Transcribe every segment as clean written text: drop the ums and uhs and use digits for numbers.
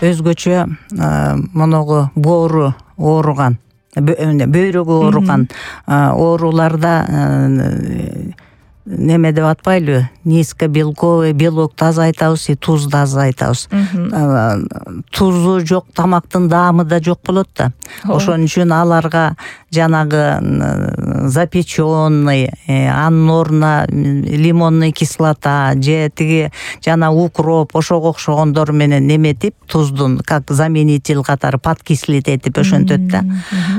өзгөчө моногу боору ооруган, бөйрөгү ооруган ооруларда неме деп атпайлыбы, низкобелковый белокду азайтабыз, тузду азайтабыз. Тузу жок тамактын даамы да жок болот да. Ошон үчүн аларга жанагы запеченный, анын ордуна лимонный кислота же тиги жана укроп ошого окшогондор менен неметип, туздун как заменитель катары подкислить этип ошентөт да.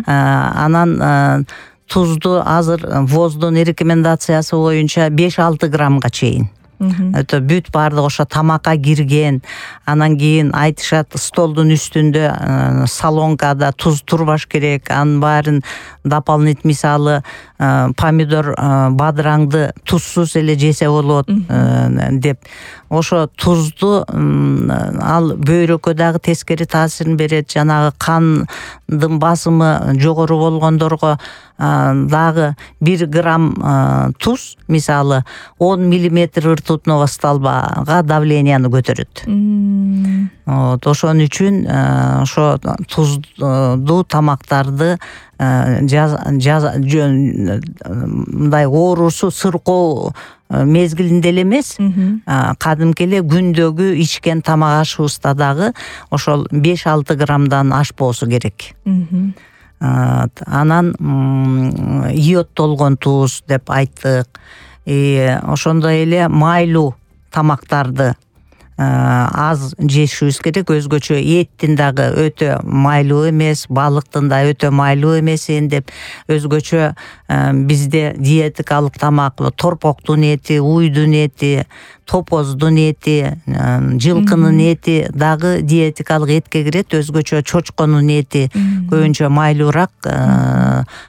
Анан тузду азыр ВОЗдун рекомендациясы боюнча 5-6 граммга чейин. Бүт баардык ошо тамакка кирген, анан кийин айтышат столдун үстүндө солонкада туз турбаш керек, анын баарын дополнительный, мисалы помидор бадыраңды тузсуз эле жесе болот деп. Ошо тузду ал бөйрөккө дагы тескери таасирин берет, жанагы кандын басымы жогору болгондорго дагы 1 грамм туз, мисалы 10 миллиметр ртутного столбага давленияны көтөрөт. Ошон үчүн ошо тузду тамактарды мындай оорусу сыркоо мезгилинде эле эмес, кадимки эле күндөгү ичкен тамак ашыбызда дагы ошол 5-6 граммдан ашпоосу керек. Анан йодтолгон туз деп айттык. Ошондой эле майлуу тамактарды аз жешибиз керек. Өзгөчө эттин дагы өтө майлуу эмес, балыктын да өтө майлуу эмесин деп, өзгөчө бизде диетикалык тамак торпоктун эти, уйдун эти, топоздун эти, жылкынын эти дагы диетикалык этке кирет. Өзгөчө чочконун эти көбүнчө майлуураак,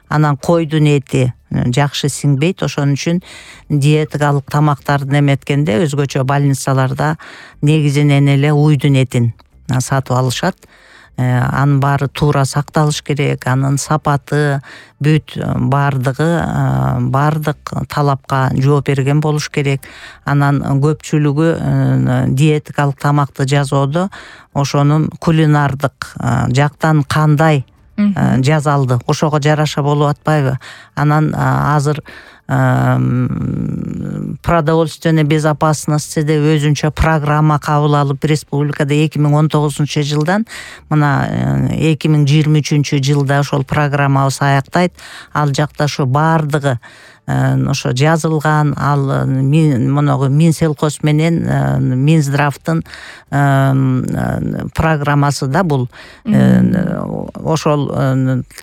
анан койдун эти жакшы сиңбейт. Ошон үчүн диетикалык тамактарды эметкенде өзгөчө больницаларда негизинен эле уйдун этин сатып алышат. Анын баары туура сакталыш керек, анын сапаты бүт баардык талапка жооп берген болуш керек. Анан көпчүлүгү диетикалык тамакты жасоодо ошонун кулинардык жактан кандай жазалды, ошого жараша болуп атпайбы? Анан азыр продовольственная безопасность деп өзүнчө программа кабыл алып, республикада 2019 жылдан мына 2023 жылда ошол программабыз аяктайт. Ал жакта ошо баардыгы ошо жазылган, ал моногу Минсельхоз менен Минздравдын программасы да бул. Ошол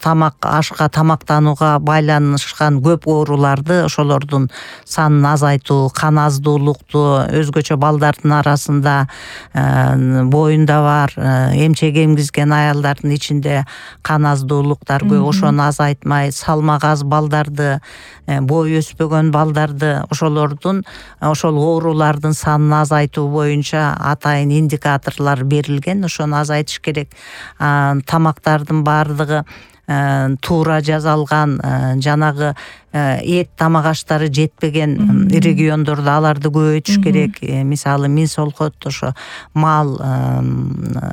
тамак ашка, тамактанууга байланышкан көп ооруларды, ошолордун санын азайтуу, кан аздуулукту, өзгөчө балдардын арасында боюнда бар эмчек эмгизген аялдардын ичинде кан аздуулуктар көп, ошону азайтмай, салмак аз балдарды, бою өспөгөн балдарды, ошол оорулардын санын азайтуу боюнча атайын индикаторлор берилген. Ошону азайтыш керек. Тамактардын баардыгы туура жасалган, жанагы эт тамак аштары жетпеген региондордо аларды көбөйтүш керек. Мисалы Минсолхот ошо мал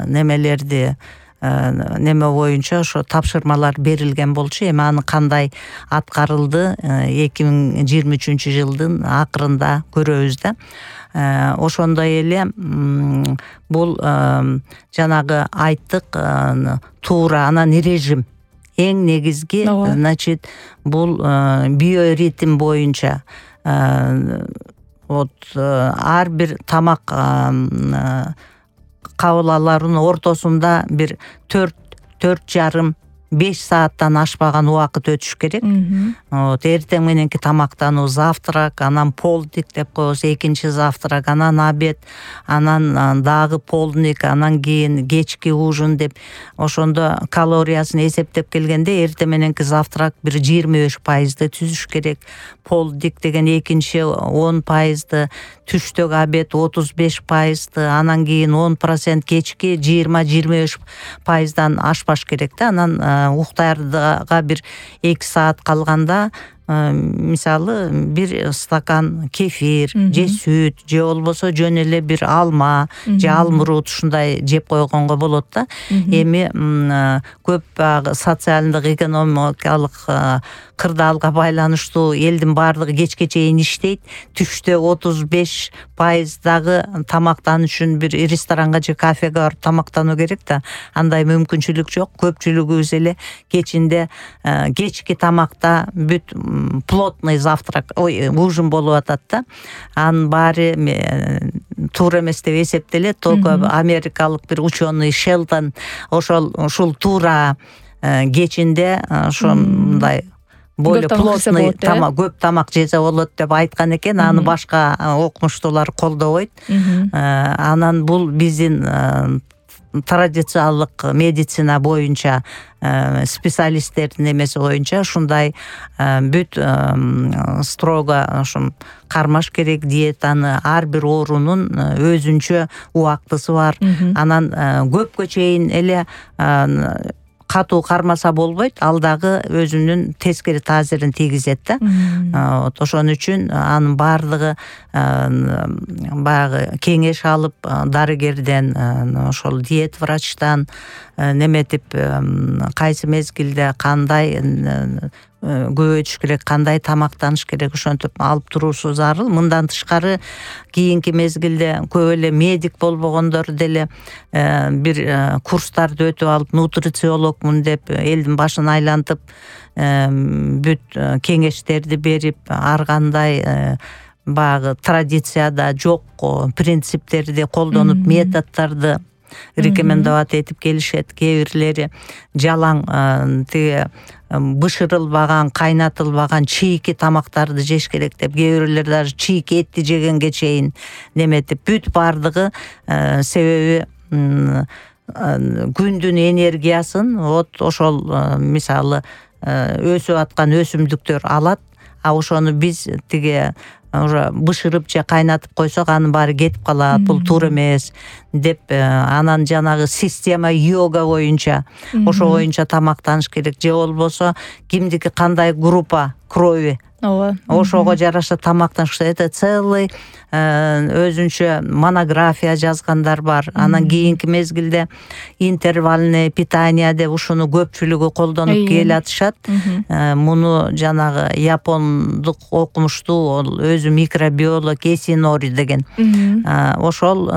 немелерди неме боюнча ошо тапшырмалар берилген болчу. Эми аны кандай аткарылды 2023 жылдын акырында көрөбүз да. Ошондой эле бул жанагы айттык туура, анан режим эң негизги, значит, бул биоритм боюнча ар бир тамак кабыл алуунун ортосунда бир 4,5 сааттан ашпаган убакыт өтүш керек. Эртең мененки тамактануу завтрак, анан полдник деп коебуз, экинчи завтрак, анан обед, анан дагы полдник, анан кийин кечки ужин деп. Ошондо калориясын эсептеп келгенде эртең мененки завтрак бир 25% түзүш керек. Полдник деген экинчи 10%, түштөгү обед 35%, анан кийин 10%, кечки 20-25%дан ашпаш керек да. Анан уктаарга бир 2 саат калганда мисалы бир стакан кефир же сүт же болбосо жөн эле бир алма же алмурут ушундай жеп койгонго болот да. Эми көп баягы социалдык экономикалык кырдаалга байланыштуу элдин баардыгы кечке чейин иштейт. Түштө 35% дагы тамактануу үчүн бир ресторанга же кафеге барып тамактануу керек да. Андай мүмкүнчүлүк жок. Көпчүлүгүбүз эле кечинде кечки тамакта бүт плотный завтрак, ужин болуп атат да. Анын баары туура эмес деп эсептелет. Только америкалык бир ученый Шелтон ушул туура кечинде ошондой более плотный тамак, көп тамак жесе болот деп айткан экен. Аны башка окумуштуулар колдобойт. Анан бул биздин традициялык медицина боюнча специалисттердин эмеси боюнча ушундай бүт строго ошо кармаш керек диетаны. Ар бир оорунун өзүнчө убактысы бар. Анан көпкө чейин эле катуу кармаса болбойт, ал дагы өзүнүн тескери таасирин тийгизет да. Ошон үчүн анын баардыгы баягы кеңеш алып дарыгерден, ошол диет врачтан неметип кайсы мезгилде кандай көбөйтүш керек, кандай тамактаныш керек, ошентип алып туруусу зарыл. Мындан тышкары кийинки мезгилде көп эле медик болбогондор деле бир курстарды өтүп алып нутрициологмун деп элдин башын айлантып бүт кеңештерди берип, ар кандай баягы традицияда жок принциптерди колдонуп, методдорду рекомендовать этип келишет. Кээ бирлери жалаң тиги бышырылбаган, кайнатылбаган чийки тамактарды жеш керек деп, кээ бирлер даже чийки этти жегенге чейин неметип, бүт баардыгы себеби күндүн энергиясын вот ошол мисалы өсүп аткан өсүмдүктөр алат. Ошону биз тиги уже бышырып же кайнатып койсок анын баары кетип калат. Бул туура эмес деп, анан жанагы система йога боюнча ошо боюнча тамактаныш керек. Же болбосо кимдики кандай группа крови, ошого жараша тамактаныш. Это целый өзүнчө монография жазгандар бар. Анан кийинки мезгилде интервальное питание деп ушуну көпчүлүгү колдонуп келатышат. Муну жанагы япондук окумуштуу, ол өзү микробиолог Эсинори деген. Ошол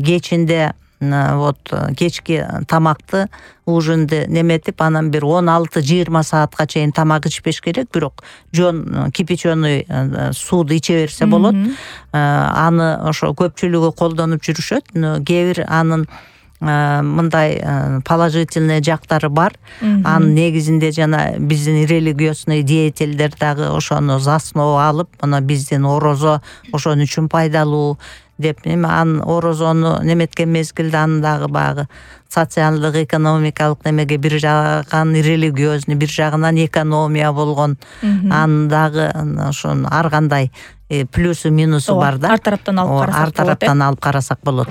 кечинде вот кечки тамакты ужинди неметип, анан бир 16-20 саатка чейин тамак ичпеш керек, бирок жон кипяченый сууду иче берсе болот. Аны ошо көпчүлүгү колдонуп жүрүшөт. Кээ бир анын мындай положительный жактары бар. Анын негизинде жана биздин религиозный деятельдер дагы ошону за основу алып, мына биздин орозо ошон үчүн пайдалуу деп, анын орозону неметкен мезгилде анын дагы баягы социалдык экономикалык немеге бир жагынан религиозный, бир жагынан экономия болгон, анын дагы ошонун ар кандай плюсу минусу бар да. Ар тараптан алып карасак болот. Ар тараптан алып карасак болот.